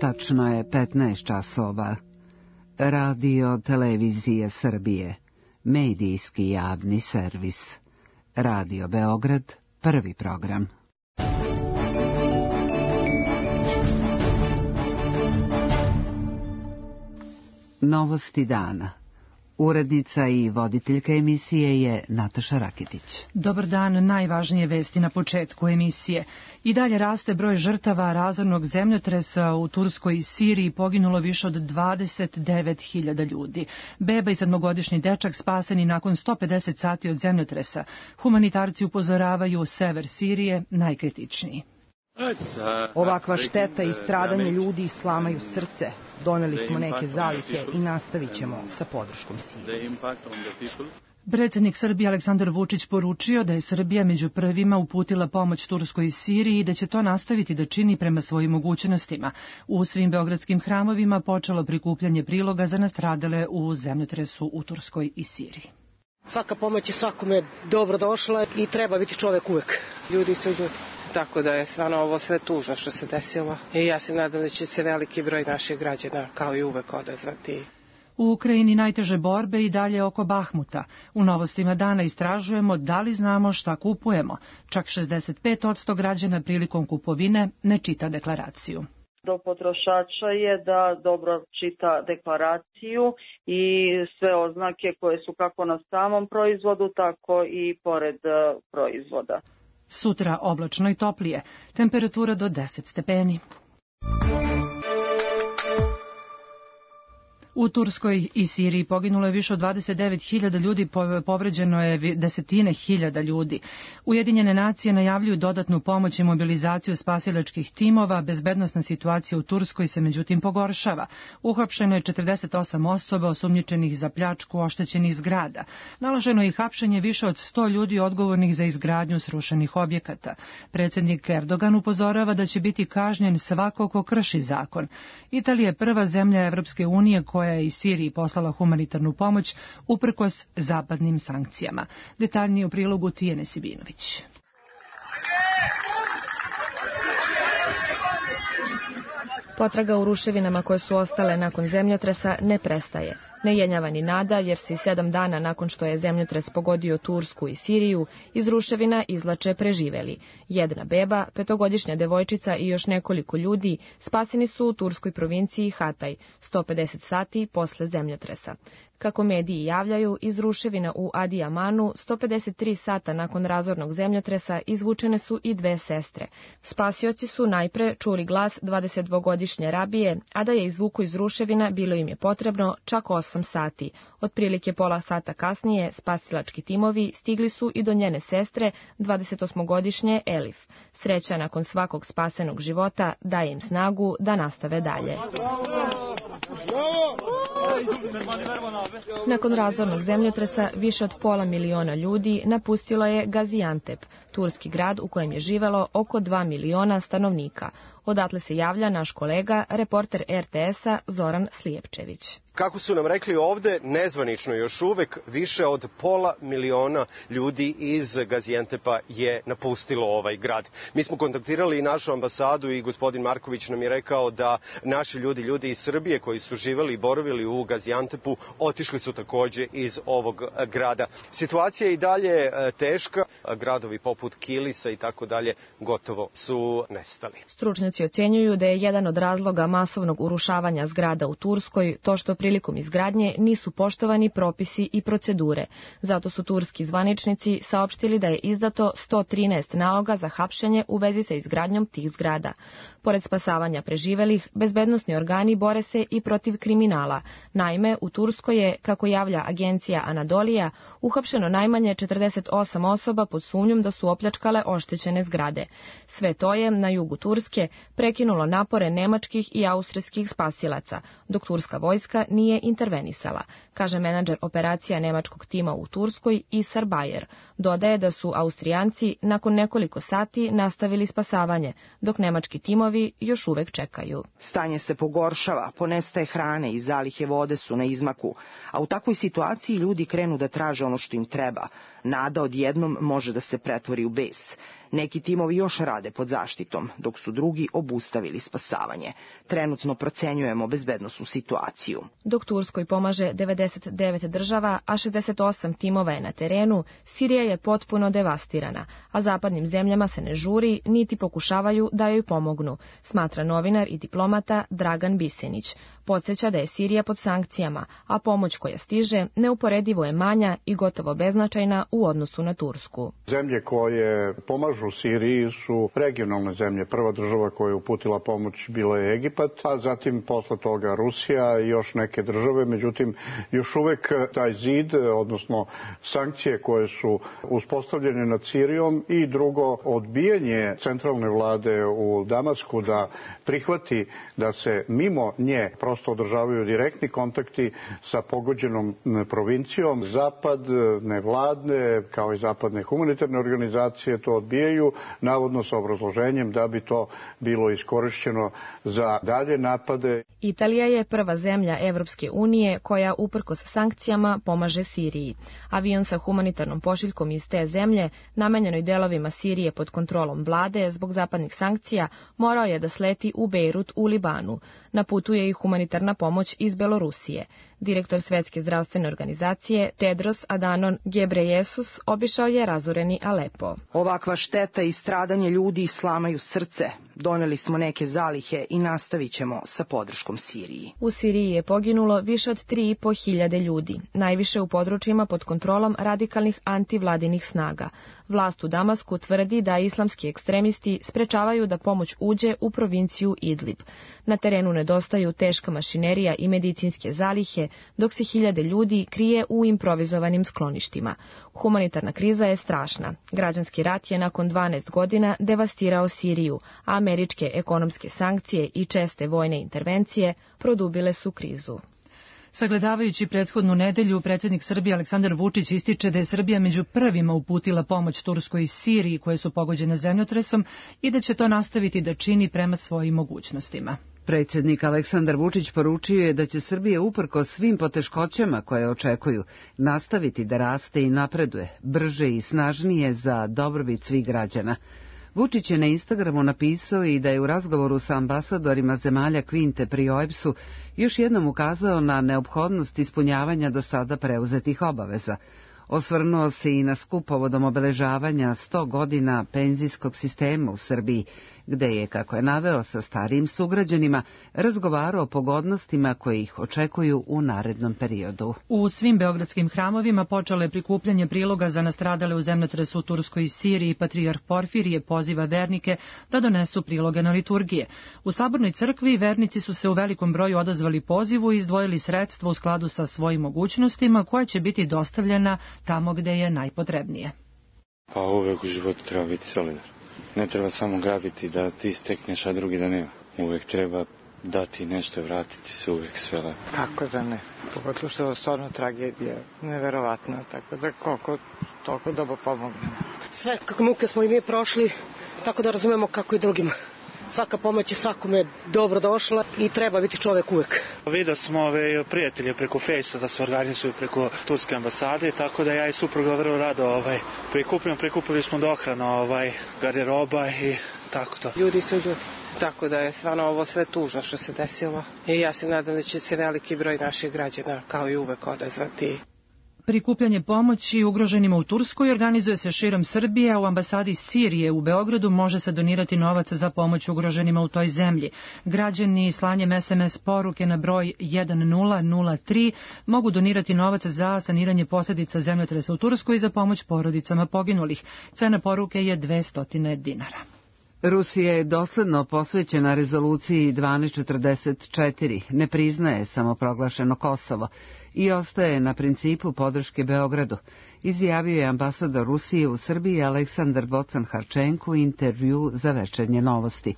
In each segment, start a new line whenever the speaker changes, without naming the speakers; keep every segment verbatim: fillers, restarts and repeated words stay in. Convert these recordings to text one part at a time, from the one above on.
Tačno je petnaest časova. Radio Televizije Srbije, medijski javni servis. Radio Beograd, prvi program. Novosti dana. Urednica i voditeljka emisije je Nataša Rakitić.
Dobar dan, najvažnije vesti na početku emisije. I dalje raste broj žrtava razornog zemljotresa u Turskoj i Siriji, poginulo više od dvadeset devet hiljada ljudi. Beba i sedmogodišnji dečak spaseni nakon sto pedeset sati od zemljotresa. Humanitarci upozoravaju sever Sirije najkritičniji.
Ovakva šteta i stradanje ljudi slamaju srce. Doneli smo neke zalihe i nastavit ćemo sa podrškom Siriji.
Predsjednik Srbije Aleksandar Vučić poručio da je Srbija među prvima uputila pomoć Turskoj i Siriji i da će to nastaviti da čini prema svojim mogućnostima. U svim beogradskim hramovima počelo prikupljanje priloga za nastradale u zemljotresu u Turskoj i Siriji.
Svaka pomoć je svakome dobro došla i treba biti čovek uvek. Ljudi su ljudi.
Tako da je stvarno ovo sve tužno što se desilo i ja se nadam da će se veliki broj naših građana kao i uvek odazvati.
U Ukrajini najteže borbe i dalje oko Bahmuta. U novostima dana istražujemo da li znamo šta kupujemo. Čak šezdeset pet posto građana prilikom kupovine ne čita deklaraciju.
Do potrošača je da dobro čita deklaraciju i sve oznake koje su kako na samom proizvodu, tako i pored proizvoda.
Sutra oblačno i toplije, temperatura do deset stepeni. U Turskoj i Siriji poginulo je više od dvadeset devet hiljada ljudi, povređeno je desetine hiljada ljudi. Ujedinjene nacije najavljuju dodatnu pomoć i mobilizaciju spasilačkih timova. Bezbednosna situacija u Turskoj se međutim pogoršava. Uhapšeno je četrdeset osam osoba osumnjičenih za pljačku oštećenih zgrada. Naloženo je i hapšenje više od sto ljudi odgovornih za izgradnju srušenih objekata. Predsjednik Erdogan upozorava da će biti kažnjen svako ko krši zakon. Italija je prva zemlja Evropske unije koja koja je iz Siriji poslala humanitarnu pomoć uprkos zapadnim sankcijama. Detaljnije u prilogu Tijene Sibinović.
Potraga u ruševinama koje su ostale nakon zemljotresa ne prestaje. Ne jenjava ni nada, jer se i sedam dana nakon što je zemljotres pogodio Tursku i Siriju, iz ruševina izvlače preživeli. Jedna beba, petogodišnja devojčica i još nekoliko ljudi spaseni su u turskoj provinciji Hatay, sto pedeset sati posle zemljotresa. Kako mediji javljaju, iz ruševina u Adijamanu sto pedeset tri sata nakon razornog zemljotresa izvučene su i dve sestre. Spasioci su najpre čuli glas dvadesetdvogodišnje Rabije, a da je izvuku iz ruševina bilo im je potrebno čak osam sati. Otprilike pola sata kasnije spasilački timovi stigli su i do njene sestre, dvadesetosmogodišnje Elif. Sreća nakon svakog spasenog života daje im snagu da nastave dalje. Nakon razornog zemljotresa više od pola miliona ljudi napustilo je Gaziantep, turski grad u kojem je živelo oko dva miliona stanovnika. Odatle se javlja naš kolega, reporter er te esa Zoran Slijepčević.
Kako su nam rekli ovde, nezvanično još uvek više od pola miliona ljudi iz Gaziantepa je napustilo ovaj grad. Mi smo kontaktirali i našu ambasadu i gospodin Marković nam je rekao da naši ljudi, ljudi iz Srbije koji su živeli i boravili u Gaziantepu, otišli su takođe iz ovog grada. Situacija je i dalje teška, gradovi poput Kilisa i tako dalje gotovo su nestali.
Stručnjaci ocjenjuju da je jedan od razloga masovnog urušavanja zgrada u Turskoj to što prilikom izgradnje nisu poštovani propisi i procedure. Zato su turski zvaničnici saopštili da je izdato sto trinaest naloga za hapšenje u vezi sa izgradnjom tih zgrada. Pored spasavanja preživelih, bezbednosni organi bore se i protiv kriminala. Naime, u Turskoj je, kako javlja agencija Anadolija, uhapšeno najmanje četrdeset osam osoba pod sumnjom da su opljačkale oštećene zgrade. Sve to je, na jugu Turske, prekinulo napore nemačkih i austrijskih spasilaca, dok turska vojska nije intervenisala, kaže menadžer operacija nemačkog tima u Turskoj Isar Bayer. Dodaje da su Austrijanci nakon nekoliko sati nastavili spasavanje, dok nemački timovi još uvek čekaju.
Stanje se pogoršava, ponestaje hrane i zalihe vode su na izmaku, a u takvoj situaciji ljudi krenu da traže ono što im treba. Nada odjednom može da se pretvori u bes. Neki timovi još rade pod zaštitom, dok su drugi obustavili spasavanje. Trenutno procenjujemo bezbednosnu situaciju.
Dok Turskoj pomaže devedeset devet država, a šezdeset osam timova je na terenu, Sirija je potpuno devastirana, a zapadnim zemljama se ne žuri, niti pokušavaju da joj pomognu, smatra novinar i diplomata Dragan Bisenić. Podsjeća da je Sirija pod sankcijama, a pomoć koja stiže neuporedivo je manja i gotovo beznačajna u odnosu na Tursku.
Zemlje koje pomažu Siriji su regionalne zemlje. Prva država koja je uputila pomoć bila je Egipat, a zatim posle toga Rusija i još neke države. Međutim, još uvek taj zid, odnosno sankcije koje su uspostavljene nad Sirijom i drugo odbijanje centralne vlade u Damasku da prihvati da se mimo nje prosto održavaju direktni kontakti sa pogođenom provincijom. Zapad, nevladne, kao i zapadne humanitarne organizacije to odbijaju, navodno sa obrazloženjem da bi to bilo iskorišćeno za dalje napade.
Italija je prva zemlja Evropske unije koja uprkos sankcijama pomaže Siriji. Avion sa humanitarnom pošiljkom iz te zemlje, namenjenoj delovima Sirije pod kontrolom vlade zbog zapadnih sankcija, morao je da sleti u Bejrut u Libanu. Na putu je i humanitarna pomoć iz Belorusije. Direktor Svetske zdravstvene organizacije Tedros Adhanom Ghebreyesus obišao je razoreni Alepo.
Ovakva šteta i stradanje ljudi slamaju srce. Doneli smo neke zalihe i nastavit ćemo sa podrškom Siriji.
U Siriji je poginulo više od tri i po hiljade ljudi, najviše u područjima pod kontrolom radikalnih antivladinih snaga. Vlast u Damasku tvrdi da islamski ekstremisti sprečavaju da pomoć uđe u provinciju Idlib. Na terenu nedostaju teška mašinerija i medicinske zalihe, dok se hiljade ljudi krije u improvizovanim skloništima. Humanitarna kriza je strašna. Građanski rat je nakon dvanaest godina devastirao Siriju, a američke ekonomske sankcije i česte vojne intervencije produbile su krizu.
Sagledavajući prethodnu nedelju, predsjednik Srbije Aleksandar Vučić ističe da je Srbija među prvima uputila pomoć Turskoj i Siriji koje su pogođene zemljotresom i da će to nastaviti da čini prema svojim mogućnostima.
Predsjednik Aleksandar Vučić poručio je da će Srbija uprkos svim poteškoćama koje očekuju nastaviti da raste i napreduje, brže i snažnije za dobrobit svih građana. Vučić je na Instagramu napisao i da je u razgovoru sa ambasadorima zemalja Kvinte pri O E B S-u još jednom ukazao na neophodnost ispunjavanja do sada preuzetih obaveza. Osvrnuo se i na skup povodom obeležavanja sto godina penzijskog sistema u Srbiji, gde je, kako je naveo sa starijim sugrađanima, razgovarao o pogodnostima koje ih očekuju u narednom periodu.
U svim beogradskim hramovima počelo je prikupljanje priloga za nastradale u zemljotresu u Turskoj i Siriji. Patrijarh Porfirije poziva vernike da donesu priloge na liturgije. U Sabornoj crkvi vernici su se u velikom broju odazvali pozivu i izdvojili sredstva u skladu sa svojim mogućnostima, koja će biti dostavljena tamo gde je najpotrebnije.
Pa uvek u životu treba biti solidar. Ne treba samo grabiti da ti stekneš, a drugi da nema. Uvek treba dati nešto, vratiti se uvek sve lepo.
Kako da ne? Pogotovo što je stvarno tragedija, neverovatna, tako da koliko toliko dobro pomognemo.
Sve kako muke smo i mi prošli, tako da razumemo kako i drugima. Svaka pomoć je svakome dobro došla i treba biti čovek uvek.
Vidio smo ove prijatelje preko Fejsa da se organizuju preko Turske ambasade, tako da ja i supruga vrlo rado ovaj, prikupljamo, prikupili smo dohranu ovaj, garderoba i tako to.
Ljudi su ljudi. Tako da je stvarno ovo sve tužno što se desilo i ja se nadam da će se veliki broj naših građana kao i uvek odazvati.
Prikupljanje pomoći ugroženima u Turskoj organizuje se širom Srbije, a u ambasadi Sirije u Beogradu može se donirati novac za pomoć ugroženima u toj zemlji. Građani slanjem es em es poruke na broj jedan nula nula tri mogu donirati novac za saniranje posljedica zemljotresa u Turskoj i za pomoć porodicama poginulih. Cena poruke je dvesta dinara.
Rusija je dosledno posvećena rezoluciji dvanaest četrdeset četiri, ne priznaje samoproglašeno Kosovo i ostaje na principu podrške Beogradu, izjavio je ambasador Rusije u Srbiji Aleksandar Bocan-Harčenko u intervju za Večernje novosti.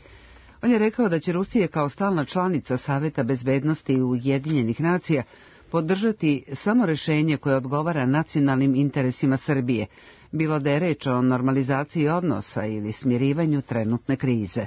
On je rekao da će Rusija kao stalna članica Saveta bezbednosti Ujedinjenih nacija podržati samo rešenje koje odgovara nacionalnim interesima Srbije, bilo da je reč o normalizaciji odnosa ili smirivanju trenutne krize.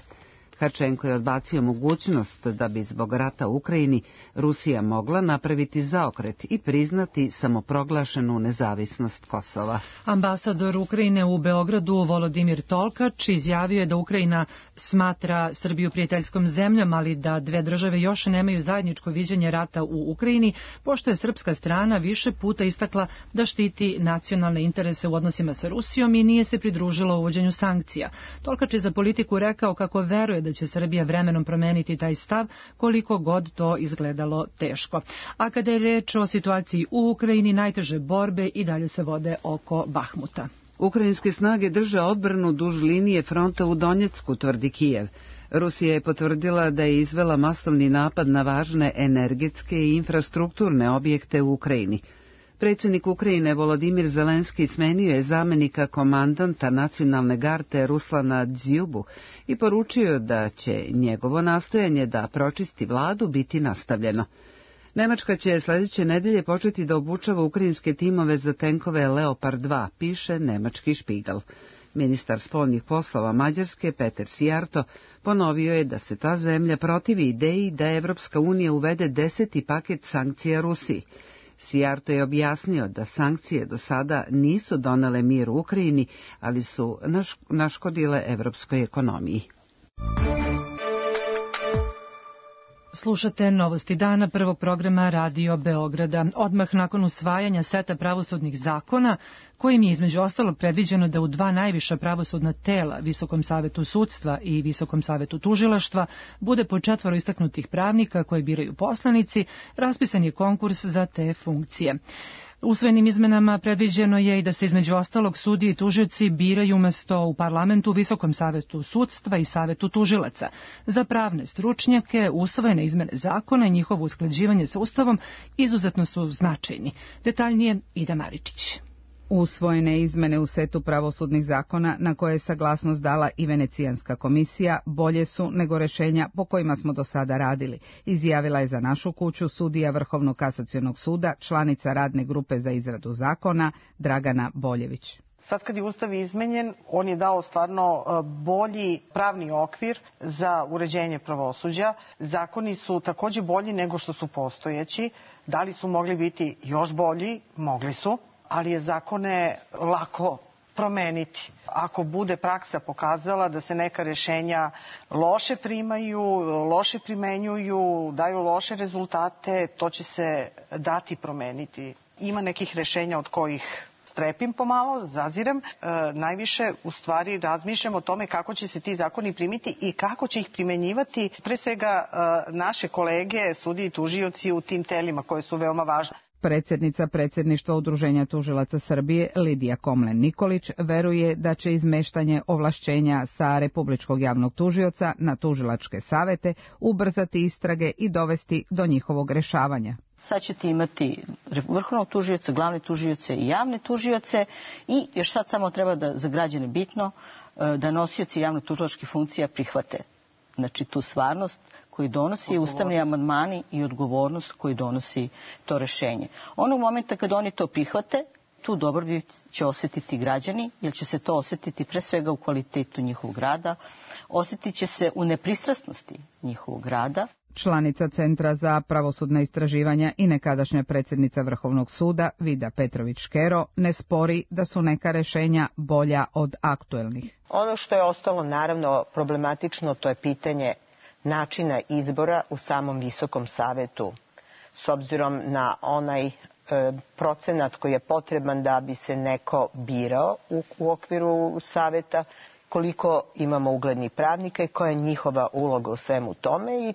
Tkačenko je odbacio mogućnost da bi zbog rata u Ukrajini Rusija mogla napraviti zaokret i priznati samoproglašenu nezavisnost Kosova.
Ambasador Ukrajine u Beogradu Volodimir Tolkač izjavio je da Ukrajina smatra Srbiju prijateljskom zemljom, ali da dve države još nemaju zajedničko viđenje rata u Ukrajini, pošto je srpska strana više puta istakla da štiti nacionalne interese u odnosima sa Rusijom i nije se pridružila uvođenju sankcija. Tolkač je za Politiku rekao kako veruje da će Srbija vremenom promeniti taj stav, koliko god to izgledalo teško. A kada je reč o situaciji u Ukrajini, najteže borbe i dalje se vode oko Bahmuta.
Ukrajinske snage drže odbranu duž linije fronta u Donjecku, tvrdi Kijev. Rusija je potvrdila da je izvela masovni napad na važne energetske i infrastrukturne objekte u Ukrajini. Predsjednik Ukrajine Volodimir Zelenski smenio je zamenika komandanta nacionalne garde Ruslana Dzjubu i poručio da će njegovo nastojanje da pročisti vladu biti nastavljeno. Nemačka će sljedeće nedelje početi da obučava ukrajinske timove za tenkove Leopard dva, piše nemački Špigal. Ministar spoljnih poslova Mađarske Peter Sijarto ponovio je da se ta zemlja protivi ideji da Evropska unija uvede deseti paket sankcija Rusiji. Sijarto je objasnio da sankcije do sada nisu donele mir u Ukrajini, ali su naškodile evropskoj ekonomiji.
Slušate Novosti dana prvog programa Radio Beograda. Odmah nakon usvajanja seta pravosudnih zakona, kojim je između ostalog predviđeno da u dva najviša pravosudna tela, Visokom savetu sudstva i Visokom savetu tužilaštva, bude po četvoro istaknutih pravnika koje biraju poslanici, raspisan je konkurs za te funkcije. Usvojenim izmenama predviđeno je i da se između ostalog sudije i tužioci biraju umesto u parlamentu, Visokom savetu sudstva i savetu tužilaca. Za pravne stručnjake usvojene izmene zakona i njihovo usklađivanje sa Ustavom izuzetno su značajni. Detaljnije Ida Maričić.
Usvojene izmene u setu pravosudnih zakona na koje je saglasnost dala i Venecijanska komisija bolje su nego rešenja po kojima smo do sada radili, izjavila je za našu kuću sudija Vrhovnog kasacionog suda, članica radne grupe za izradu zakona Dragana Boljević.
Sad kad je Ustav izmenjen, on je dao stvarno bolji pravni okvir za uređenje pravosuđa. Zakoni su takođe bolji nego što su postojeći. Da li su mogli biti još bolji? Mogli su. Ali je zakone lako promeniti. Ako bude praksa pokazala da se neka rešenja loše primaju, loše primenjuju, daju loše rezultate, to će se dati promeniti. Ima nekih rešenja od kojih strepim pomalo, zazirem. E, najviše u stvari razmišljam o tome kako će se ti zakoni primiti i kako će ih primenjivati pre svega e, naše kolege, sudije i tužioci u tim telima koje su veoma važne.
Predsjednica predsjedništva Udruženja tužilaca Srbije Lidija Komlen-Nikolić veruje da će izmeštanje ovlašćenja sa Republičkog javnog tužioca na tužilačke savete ubrzati istrage i dovesti do njihovog rešavanja.
Sad ćete imati vrhovnog tužioca, glavne tužioce i javne tužioce i još sad samo treba da za građane bitno da nosioci javno tužilačkih funkcija prihvate. Znači tu stvarnost koji donosi ustavni amandmani i odgovornost koji donosi to rešenje. Onog momenta kad oni to prihvate, tu dobrobit će osjetiti građani, jer će se to osjetiti pre svega u kvalitetu njihovog rada, osjetit će se u nepristrasnosti njihovog rada.
Članica Centra za pravosudna istraživanja i nekadašnja predsjednica Vrhovnog suda Vida Petrović-Škero ne spori da su neka rešenja bolja od aktuelnih.
Ono što je ostalo naravno problematično, to je pitanje načina izbora u samom Visokom savetu, s obzirom na onaj e, procenat koji je potreban da bi se neko birao u, u okviru saveta, koliko imamo uglednih pravnika i koja je njihova uloga u svemu tome. I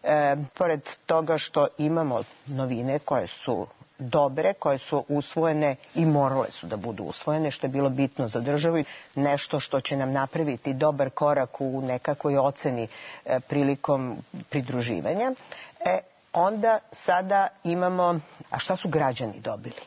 e, pored toga što imamo novine koje su dobre, koje su usvojene i morale su da budu usvojene, što je bilo bitno za državu i nešto što će nam napraviti dobar korak u nekakvoj oceni e, prilikom pridruživanja. E, onda sada imamo, a šta su građani dobili?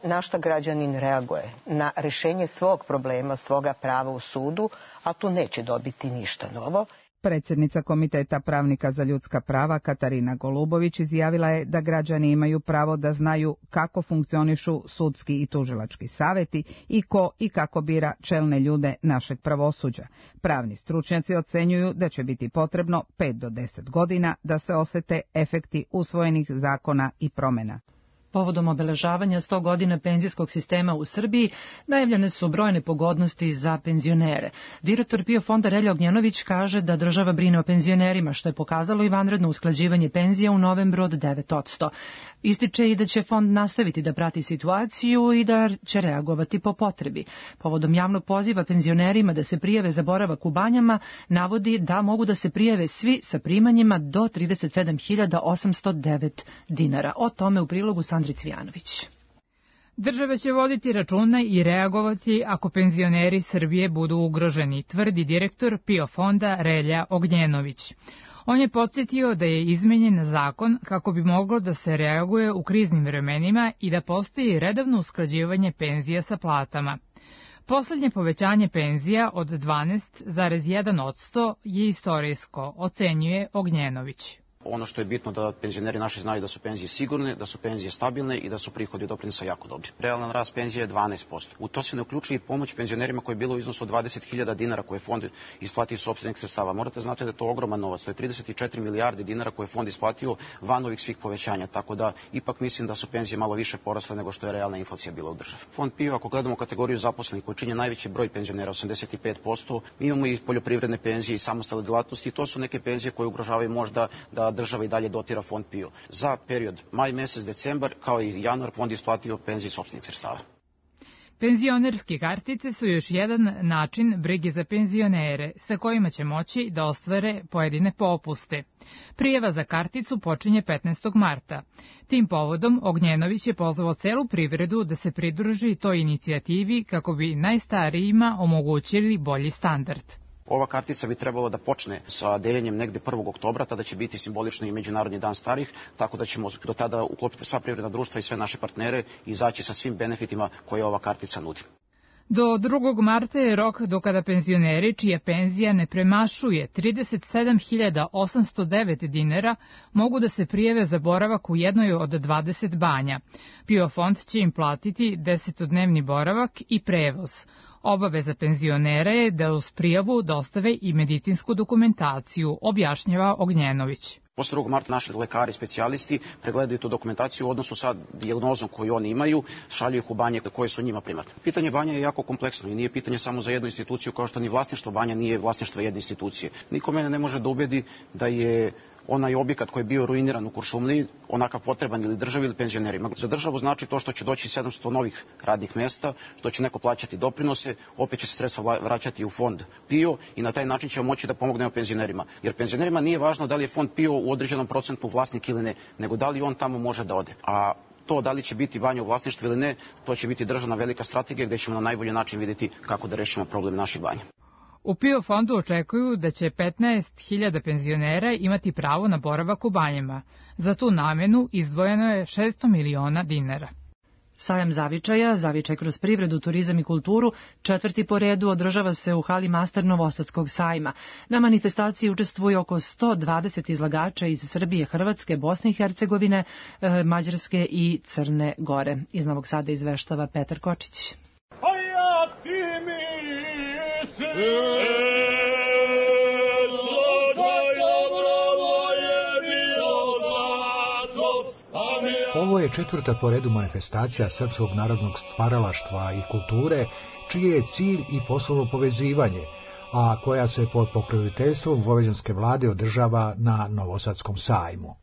Na šta građanin reaguje? Na rešenje svog problema, svoga prava u sudu, a tu neće dobiti ništa novo.
Predsjednica Komiteta pravnika za ljudska prava Katarina Golubović izjavila je da građani imaju pravo da znaju kako funkcionišu sudski i tužilački saveti i ko i kako bira čelne ljude našeg pravosuđa. Pravni stručnjaci ocenjuju da će biti potrebno pet do deset godina da se osete efekti usvojenih zakona i promjena.
Povodom obeležavanja sto godina penzijskog sistema u Srbiji najavljene su brojne pogodnosti za penzionere. Direktor PIO fonda Relja Ognjenović kaže da država brine o penzionerima, što je pokazalo i vanredno usklađivanje penzija u novembru od devet posto. Ističe i da će fond nastaviti da prati situaciju i da će reagovati po potrebi. Povodom javnog poziva penzionerima da se prijave za boravak u banjama, navodi da mogu da se prijave svi sa primanjima do trideset sedam hiljada osamsto devet dinara. O tome u prilogu Sandri Cvijanović.
Država će voditi računa i reagovati ako penzioneri Srbije budu ugroženi, tvrdi direktor PIO fonda Relja Ognjenović. On je podsjetio da je izmenjen zakon kako bi moglo da se reaguje u kriznim vremenima i da postoji redovno usklađivanje penzija sa platama. Poslednje povećanje penzija od dvanaest zarez jedan posto je istorijsko, ocenjuje Ognjenović.
Ono što je bitno da penzioneri naši znaju da su penzije sigurne, da su penzije stabilne i da su prihodi od doprinosa jako dobri. Realan rast penzije je dvanaest posto. U to se ne uključuje i pomoć penzionerima koja je bila u iznosu od dvadeset hiljada dinara koje je fond isplatio iz sopstvenih sredstava. Morate znati da je to ogroman novac, to je trideset četiri milijarde dinara koje je fond isplatio van ovih svih povećanja, tako da ipak mislim da su penzije malo više porasle nego što je realna inflacija bila u državi. Fond PIO, ako gledamo kategoriju zaposlenih koji čine najveći broj penzionera, osamdeset pet posto, mi imamo i poljoprivredne penzije i samostalne delatnosti, to su neke penzije koje ugrožavaju možda da država i dalje dotira fond PIO. Za period maj mesec, decembar, kao i januar, fond je isplatio penzije iz sopstvenih sredstava.
Penzionerske kartice su još jedan način brige za penzionere, sa kojima će moći da ostvare pojedine popuste. Prijava za karticu počinje petnaestog marta. Tim povodom Ognjenović je pozvao celu privredu da se pridruži toj inicijativi kako bi najstarijima omogućili bolji standard.
Ova kartica bi trebalo da počne sa deljenjem negde prvog oktobra, tada će biti simbolično i Međunarodni dan starih, tako da ćemo do tada uklopiti sva privredna društva i sve naše partnere i izaći sa svim benefitima koje ova kartica nudi.
Do drugog marta je rok do kada penzioneri čija penzija ne premašuje trideset sedam hiljada osamsto devet dinara mogu da se prijave za boravak u jednoj od dvadeset banja. PIO fond će im platiti desetodnevni boravak i prevoz. Obaveza penzionera je da uz prijavu dostave i medicinsku dokumentaciju, objašnjava Ognjenović.
Posle drugog marta naši lekari, specijalisti pregledaju tu dokumentaciju u odnosu sa dijagnozom koju oni imaju, šalju ih u banje koje su njima primarne. Pitanje banja je jako kompleksno i nije pitanje samo za jednu instituciju, kao što ni vlasništvo banja nije vlasništvo jedne institucije. Niko mene ne može da ubedi da je onaj objekat koji je bio ruiniran u Kuršumliji onakav potreban ili državi ili penzionerima. Za državu znači to što će doći sedamsto novih radnih mesta, što će neko plaćati doprinose, opet će se sredstva vraćati u fond PIO i na taj način ćemo moći da pomognemo penzionerima. Jer penzionerima nije važno da li je fond PIO u određenom procentu vlasnik ili ne, nego da li on tamo može da ode. A to da li će biti banja u vlasništvu ili ne, to će biti državna velika strategija gde ćemo na najbolji način vidjeti kako da rešimo problem naših banja.
U PIO fondu očekuju da će petnaest hiljada penzionera imati pravo na boravak u banjama. Za tu namenu izdvojeno je šesto miliona dinara.
Sajam zavičaja, zavičaj kroz privredu, turizam i kulturu, četvrti po redu održava se u hali Master Novosadskog sajma. Na manifestaciji učestvuje oko sto dvadeset izlagača iz Srbije, Hrvatske, Bosne i Hercegovine, Mađarske i Crne Gore. Iz Novog Sada izveštava Petar Kočić.
Ovo je četvrta po redu manifestacija srpskog narodnog stvaralaštva i kulture, čiji je cilj i poslovno povezivanje, a koja se pod pokroviteljstvom vojvođanske vlade održava na Novosadskom sajmu.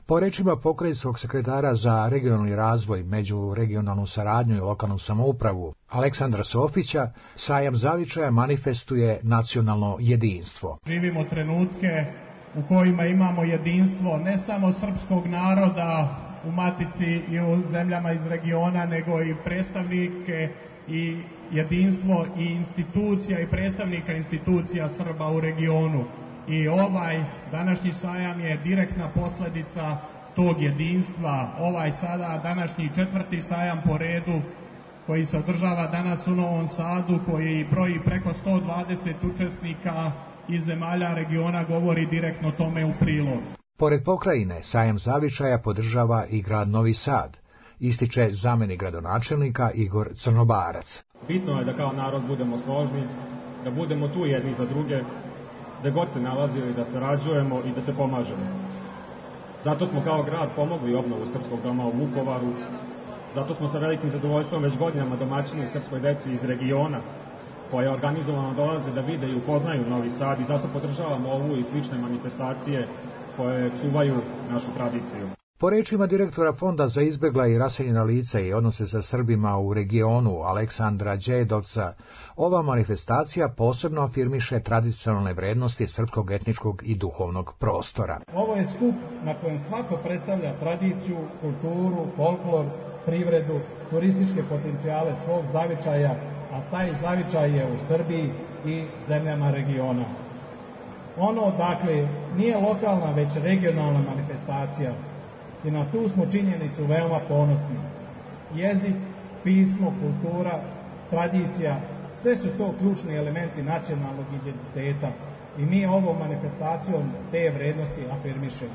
Po rečima pokrajinskog sekretara za regionalni razvoj, međuregionalnu saradnju i lokalnu samoupravu Aleksandra Sofića, sajam zavičaja manifestuje nacionalno jedinstvo.
Živimo trenutke u kojima imamo jedinstvo ne samo srpskog naroda u matici i u zemljama iz regiona, nego i predstavnike i jedinstvo i institucija i predstavnika institucija Srba u regionu. I ovaj današnji sajam je direktna posledica tog jedinstva. Ovaj sada današnji četvrti sajam po redu koji se održava danas u Novom Sadu, koji broji preko sto dvadeset učesnika iz zemalja regiona govori direktno tome u prilog.
Pored pokrajine, sajam zavičaja podržava i grad Novi Sad, ističe zamenik gradonačelnika Igor Crnobarac.
Bitno je da kao narod budemo složni, da budemo tu jedni za druge, da god se nalazili, da sarađujemo i da se pomažemo. Zato smo kao grad pomogli obnovu Srpskog doma u Vukovaru, zato smo sa velikim zadovoljstvom već godinama domaćini srpskoj deci iz regiona koja organizovano dolaze da vide i upoznaju Novi Sad i zato podržavamo ovu i slične manifestacije koje čuvaju našu tradiciju.
Po rečima direktora Fonda za izbjegla i raseljena lica i odnose sa Srbima u regionu Aleksandra Đedovca, ova manifestacija posebno afirmiše tradicionalne vrednosti srpskog etničkog i duhovnog prostora.
Ovo je skup na kojem svako predstavlja tradiciju, kulturu, folklor, privredu, turističke potencijale svog zavičaja, a taj zavičaj je u Srbiji i zemljama regiona. Ono, dakle, nije lokalna, već regionalna manifestacija i na tu smo činjenicu veoma ponosni. Jezik, pismo, kultura, tradicija, sve su to ključni elementi nacionalnog identiteta i mi ovom manifestacijom te vrednosti afirmišemo.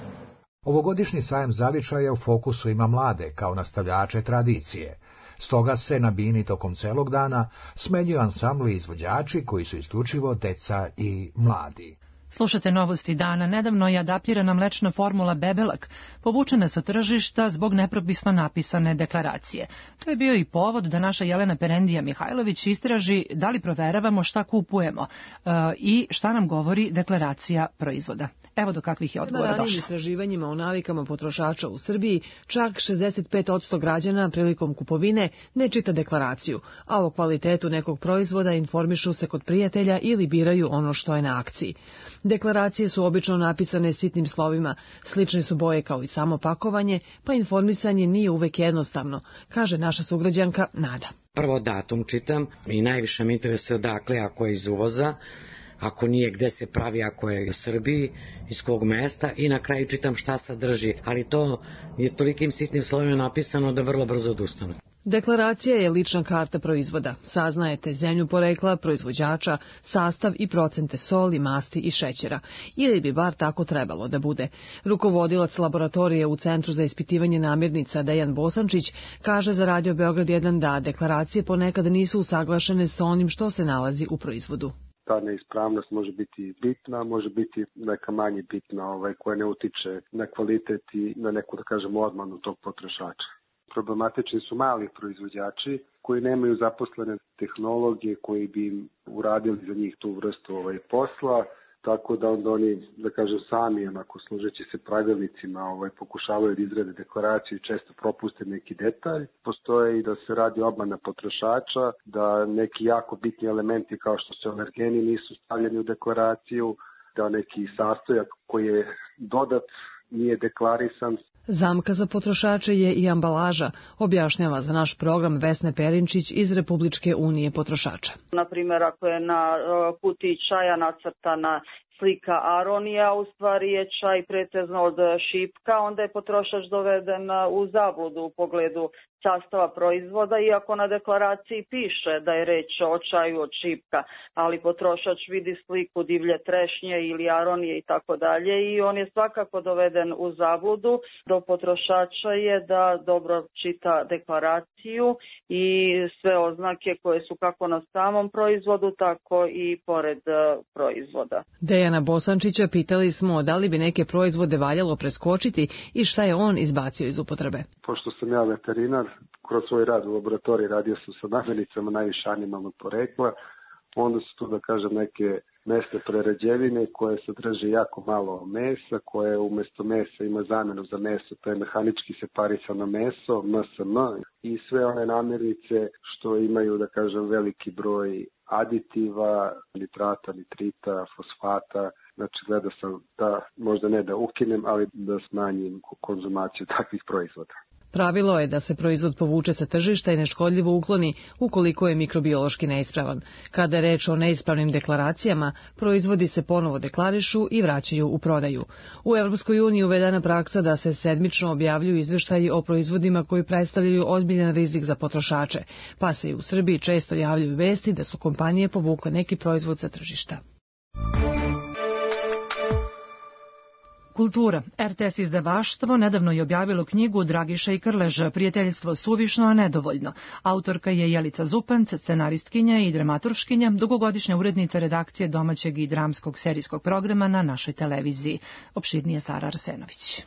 Ovogodišnji sajam zavičaja u fokusu ima mlade kao nastavljače tradicije. Stoga se na bini tokom celog dana smenjuju ansambli i izvođači koji su isključivo deca i mladi.
Slušate Novosti dana. Nedavno je adaptirana mlečna formula Bebelak povučena sa tržišta zbog nepropisno napisane deklaracije. To je bio i povod da naša Jelena Perendija Mihajlović istraži da li proveravamo šta kupujemo e, i šta nam govori deklaracija proizvoda. Evo do kakvih je odgovora došla.
Na ranijim istraživanjima o navikama potrošača u Srbiji čak šezdeset pet posto građana prilikom kupovine ne čita deklaraciju, a o kvalitetu nekog proizvoda informišu se kod prijatelja ili biraju ono što je na akciji. Deklaracije su obično napisane sitnim slovima, slične su boje kao i samo pakovanje, pa informisanje nije uvek jednostavno, kaže naša sugrađanka Nada.
Prvo datum čitam i najviše me interesuje odakle, ako je iz uvoza, ako nije gde se pravi, ako je u Srbiji, iz kog mesta i na kraju čitam šta sadrži, ali to je tolikim sitnim slovima napisano da vrlo brzo odustane.
Deklaracija je lična karta proizvoda. Saznajete zemlju porekla, proizvođača, sastav i procente soli, masti i šećera. Ili bi bar tako trebalo da bude. Rukovodilac laboratorije u Centru za ispitivanje namirnica Dejan Bosančić kaže za Radio Beograd jedan da deklaracije ponekad nisu usaglašene sa onim što se nalazi u proizvodu.
Ta neispravnost može biti bitna, može biti neka manje bitna ovaj, koja ne utiče na kvalitet i na neku, da kažemo, odmanu tog potrošača. Problematični su mali proizvođači koji nemaju zaposlene tehnologije koji bi im uradili za njih tu vrstu ovaj, posla, tako da onda oni, da kažem, sami, onako služeći se pravilnicima, ovaj, pokušavaju da izrade deklaraciju i često propuste neki detalj. Postoje i da se radi obmana potrošača, da neki jako bitni elementi kao što su alergeni nisu stavljeni u deklaraciju, da neki sastojak koji je dodat nije deklarisan.
Zamka za potrošače je i ambalaža, objašnjava za naš program Vesna Perinčić iz Republičke unije potrošača.
Na primjer, ako je na kutiji čaja nacrtana slika aronija, u stvari je čaj pretežno od šipka, onda je potrošač doveden u zabludu u pogledu sastava proizvoda, iako na deklaraciji piše da je reč o čaju od šipka, ali potrošač vidi sliku divlje trešnje ili aronije i tako dalje i on je svakako doveden u zabludu. Do potrošača je da dobro čita deklaraciju i sve oznake koje su kako na samom proizvodu, tako i pored proizvoda.
Dejana Bosančića pitali smo da li bi neke proizvode valjalo preskočiti i šta je on izbacio iz upotrebe.
Pošto sam ja veterinar, kroz svoj rad u laboratoriji radio sam sa namirnicama najviše animalnog porekla, onda su tu, da kažem, neke mesne prerađevine koje sadrže jako malo mesa, koje umjesto mesa ima zamenu za meso, to je mehanički separisano meso, M S M, i sve one namirnice što imaju, da kažem, veliki broj aditiva, nitrata, nitrita, fosfata. Znači, gleda sam da, možda ne da ukinem, ali da smanjim konzumaciju takvih proizvoda.
Pravilo je da se proizvod povuče sa tržišta i neškodljivo ukloni ukoliko je mikrobiološki neispravan. Kada je reč o neispravnim deklaracijama, proizvodi se ponovo deklarišu i vraćaju u prodaju. U Evropskoj uniji uvedena praksa da se sedmično objavljuju izveštaji o proizvodima koji predstavljaju ozbiljan rizik za potrošače, pa se i u Srbiji često javljaju vesti da su kompanije povukle neki proizvod sa tržišta.
Kultura. er te es izdavaštvo nedavno je objavilo knjigu Dragiša i Krleža, Prijateljstvo suvišno, a nedovoljno. Autorka je Jelica Zupanc, scenaristkinja i dramaturškinja, dugogodišnja urednica redakcije domaćeg i dramskog serijskog programa na našoj televiziji. Opširnije Sara Arsenović.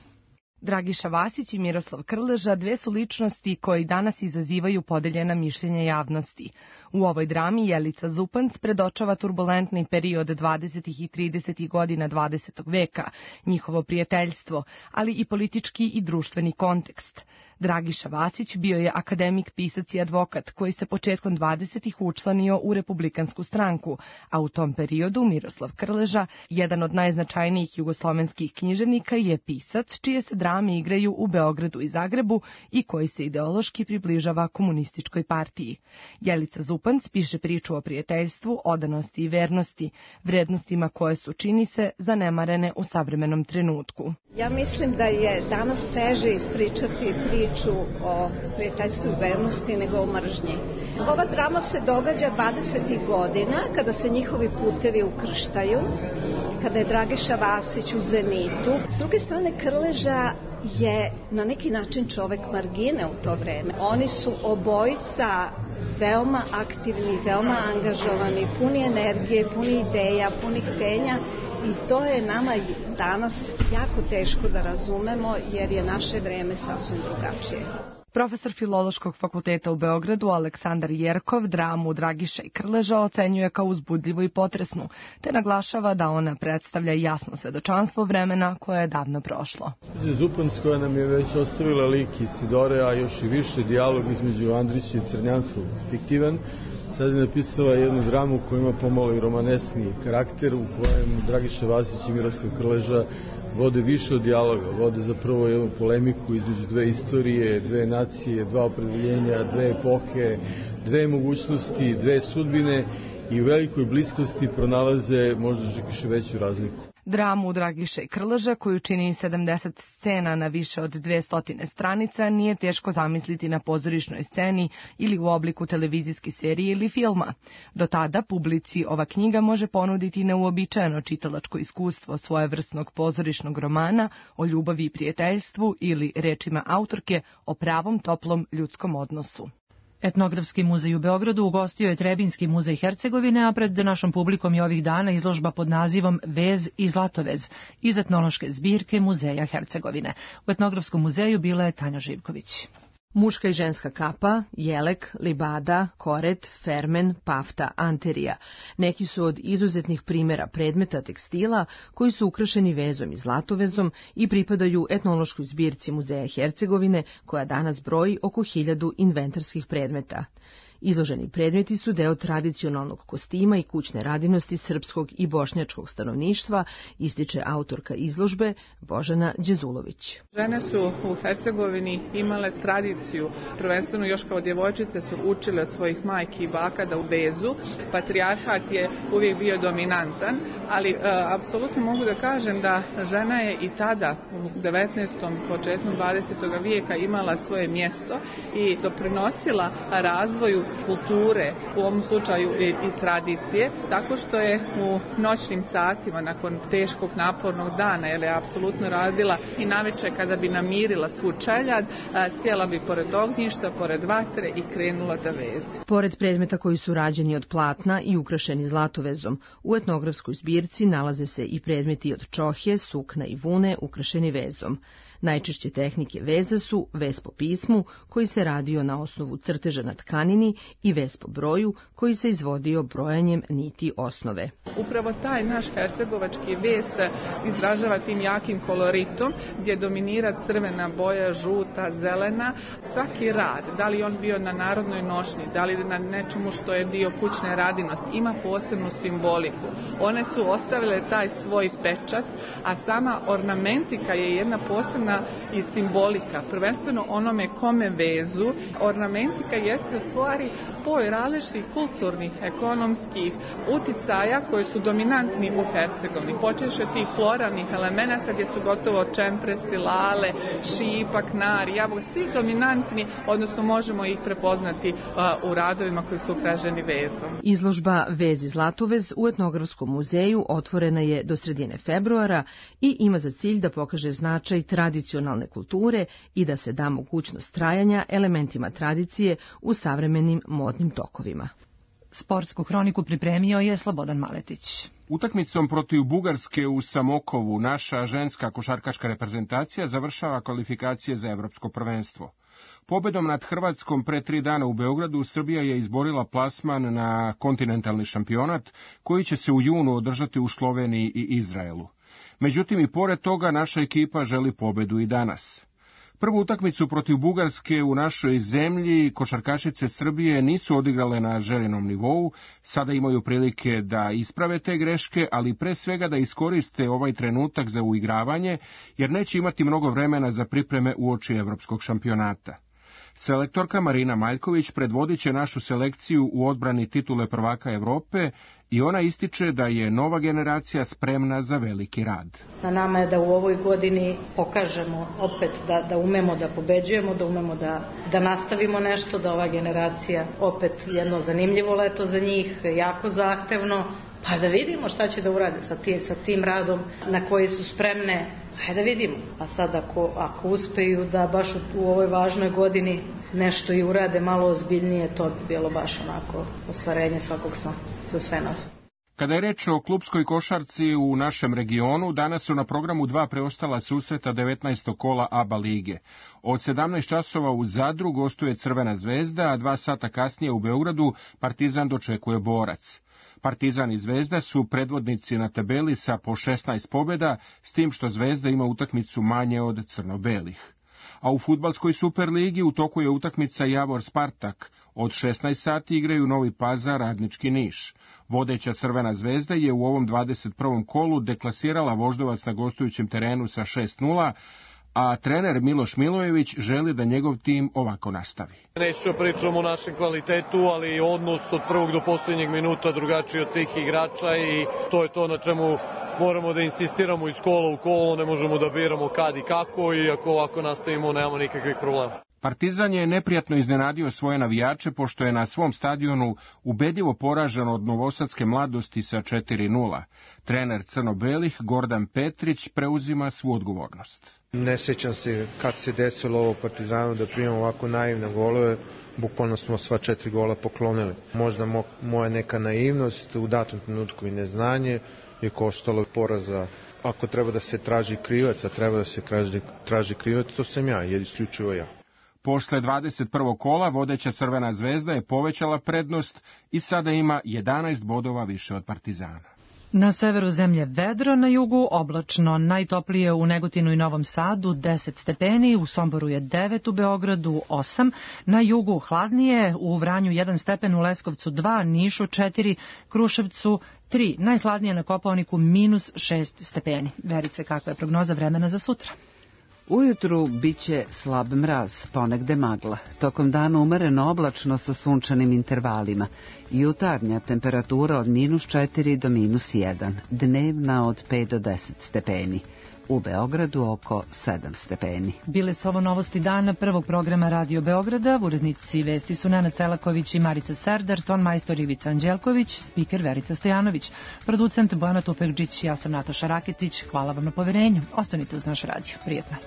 Dragiša Vasić i Miroslav Krleža dve su ličnosti koji danas izazivaju podeljena mišljenja javnosti. U ovoj drami Jelica Zupanc predočava turbulentni period dvadesetih i tridesetih godina dvadesetog veka, njihovo prijateljstvo, ali i politički i društveni kontekst. Dragiša Vasić bio je akademik, pisac i advokat koji se početkom dvadesetih učlanio u Republikansku stranku, a u tom periodu Miroslav Krleža, jedan od najznačajnijih jugoslovenskih književnika, je pisac čije se drame igraju u Beogradu i Zagrebu i koji se ideološki približava komunističkoj partiji. Jelica Zupanc piše priču o prijateljstvu, odanosti i vernosti, vrednostima koje su, čini se, zanemarene u savremenom trenutku.
Ja mislim da je danas teže ispričati priču o prijateljstvu i vernosti nego o mržnji. Ova drama se događa dvadesetih godina kada se njihovi putevi ukrštaju, kada je Dragiša Vasić u zenitu. S druge strane, Krleža je na neki način čovek margine u to vreme. Oni su obojica veoma aktivni, veoma angažovani, puni energije, puni ideja, puni htenja. I to je nama danas jako teško da razumemo jer je naše vreme sasvim drugačije.
Profesor Filološkog fakulteta u Beogradu Aleksandar Jerkov dramu Dragiša i Krleža ocenjuje kao uzbudljivu i potresnu, te naglašava da ona predstavlja jasno svedočanstvo vremena koje je davno prošlo.
Zupanc koja nam je već ostavila lik Isidore, a još i više dijalog između Andrića i Crnjanskog, fiktivan, sad je napisala jednu dramu koja ima pomalo i romanesni karakter, u kojem Dragiša Vasić i Miroslav Krleža vode više od dijaloga, vode zapravo jednu polemiku između dve istorije, dve nacije, dva opredeljenja, dve epohe, dve mogućnosti, dve sudbine i u velikoj bliskosti pronalaze možda čak i veću razliku.
Dramu Dragiša i Krleža, koju čini sedamdeset scena na više od dvesta stranica, nije teško zamisliti na pozorišnoj sceni ili u obliku televizijske serije ili filma. Do tada publici ova knjiga može ponuditi neuobičajeno čitalačko iskustvo svojevrsnog pozorišnog romana o ljubavi i prijateljstvu ili, rečima autorke, o pravom toplom ljudskom odnosu.
Etnografski muzej u Beogradu ugostio je Trebinski muzej Hercegovine, a pred našom publikom je ovih dana izložba pod nazivom Vez i Zlatovez iz etnološke zbirke Muzeja Hercegovine. U Etnografskom muzeju bila je Tanja Živković.
Muška i ženska kapa, jelek, libada, koret, fermen, pafta, anterija. Neki su od izuzetnih primjera predmeta tekstila koji su ukrašeni vezom i zlatovezom i pripadaju etnološkoj zbirci Muzeja Hercegovine koja danas broji oko hiljadu inventarskih predmeta. Izloženi predmeti su deo tradicionalnog kostima i kućne radinosti srpskog i bošnjačkog stanovništva, ističe autorka izložbe Božana Đezulović.
Žene su u Hercegovini imale tradiciju, prvenstveno još kao djevojčice su učile od svojih majki i baka da vezu. Patrijarhat je uvijek bio dominantan, ali e, apsolutno mogu da kažem da žena je i tada u devetnaestom početkom dvadesetog vijeka imala svoje mjesto i doprinosila razvoju kulture, u ovom slučaju i, i tradicije, tako što je u noćnim satima nakon teškog napornog dana, jer je apsolutno radila i naveče kada bi namirila svu čeljad, sjela bi pored ognjišta, pored vatre i krenula da veze.
Pored predmeta koji su rađeni od platna i ukrašeni zlatovezom, u etnografskoj zbirci nalaze se i predmeti od čohje, sukna i vune ukrašeni vezom. Najčešće tehnike veza su vez po pismu, koji se radio na osnovu crteža na tkanini, i vez po broju, koji se izvodio brojanjem niti osnove.
Upravo taj naš hercegovački vez izražava tim jakim koloritom, gdje dominira crvena boja, žuta, zelena. Svaki rad, da li on bio na narodnoj nošnji, da li na nečemu što je dio kućne radinosti, ima posebnu simboliku. One su ostavile taj svoj pečat, a sama ornamentika je jedna posebna i simbolika, prvenstveno onome kome vezu. Ornamentika jeste u stvari spoj različitih kulturnih, ekonomskih uticaja koji su dominantni u Hercegovini. Počeš od tih floralnih elemenata gdje su gotovo čempresi, lale, šipak, nar, jabuka, svi dominantni, odnosno možemo ih prepoznati uh, u radovima koji su ukrašeni vezom.
Izložba Vez i Zlatovez u Etnografskom muzeju otvorena je do sredine februara i ima za cilj da pokaže značaj tradicionalne kulture i da se da mogućnost trajanja elementima tradicije u savremenim modnim tokovima.
Sportsku hroniku pripremio je Slobodan Maletić.
Utakmicom protiv Bugarske u Samokovu naša ženska košarkaška reprezentacija završava kvalifikacije za evropsko prvenstvo. Pobedom nad Hrvatskom pre tri dana u Beogradu Srbija je izborila plasman na kontinentalni šampionat koji će se u junu održati u Sloveniji i Izraelu. Međutim, i pored toga naša ekipa želi pobedu i danas. Prvu utakmicu protiv Bugarske u našoj zemlji košarkašice Srbije nisu odigrale na željenom nivou, sada imaju prilike da isprave te greške, ali pre svega da iskoriste ovaj trenutak za uigravanje, jer neće imati mnogo vremena za pripreme uoči evropskog šampionata. Selektorka Marina Maljković predvodit će našu selekciju u odbrani titule prvaka Evrope i ona ističe da je nova generacija spremna za veliki rad.
Na nama je da u ovoj godini pokažemo opet da, da umemo da pobeđujemo, da umemo da, da nastavimo nešto, da ova generacija opet jedno zanimljivo leto za njih, jako zahtevno, pa da vidimo šta će da urade sa tim, sa tim radom na koji su spremne. Hajde da vidimo. A sad ako, ako uspeju da baš u, u ovoj važnoj godini nešto i urade malo ozbiljnije, to bi bilo baš onako ostvarenje svakog sna za sve nas.
Kada je reč o klupskoj košarci u našem regionu, danas su na programu dva preostala susreta devetnaestog kola A B A lige. Od sedamnaest časova u Zadru gostuje Crvena zvezda, a dva sata kasnije u Beogradu Partizan dočekuje Borac. Partizan i Zvezda su predvodnici na tabeli sa po šesnaest pobjeda, s tim što Zvezda ima utakmicu manje od crno-belih. A u fudbalskoj Superligi u toku je utakmica Javor-Spartak. Od šesnaest sati igraju Novi Pazar, Radnički Niš. Vodeća Crvena zvezda je u ovom dvadeset prvom kolu deklasirala Voždovac na gostujućem terenu sa šest nula, a trener Miloš Milojević želi da njegov tim ovako nastavi.
Neću pričamo o našem kvalitetu, ali odnos od prvog do posljednjeg minuta drugačiji od svih igrača i to je to na čemu moramo da insistiramo iz kola u kolo, ne možemo da biramo kad i kako i ako ovako nastavimo nemamo nikakvih problema.
Partizan je neprijatno iznenadio svoje navijače pošto je na svom stadionu ubedljivo poražen od novosadske mladosti sa četiri nula. Trener crno-belih Gordan Petrić preuzima svu odgovornost.
Ne sjećam se kad se desilo ovo Partizanu da primamo ovako naivne golove, bukvalno smo sva četiri gola poklonili. Možda mo, moja neka naivnost u datom trenutku i neznanje je koštalo poraza. Ako treba da se traži krivac, a treba da se traži, traži krivac, to sam ja, jer isključivo ja.
Posle dvadeset prvog kola vodeća Crvena zvezda je povećala prednost i sada ima jedanaest bodova više od Partizana.
Na severu zemlje vedro, na jugu oblačno, najtoplije u Negotinu i Novom Sadu deset stepeni, u Somboru je devet, u Beogradu osam, na jugu hladnije, u Vranju jedan stepen, u Leskovcu dva, Nišu četiri, Kruševcu tri, najhladnije na Kopaoniku minus šest stepeni. Verice, kakva je prognoza vremena za sutra?
Ujutru biće slab mraz, ponegde magla. Tokom dana umereno oblačno sa sunčanim intervalima. Jutarnja temperatura od minus četiri do minus jedan, dnevna od pet do deset stepeni. U Beogradu oko sedam stepeni.
Bile su ovo novosti dana prvog programa Radio Beograda. Urednici vesti su Nena Celaković i Marica Serdar, ton majstor Ivica Anđelković, spiker Verica Stojanović, producent Bojana Tupekđić, ja sam Nataša Raketić. Hvala vam na poverenju. Ostanite uz naš radio. Prijetno.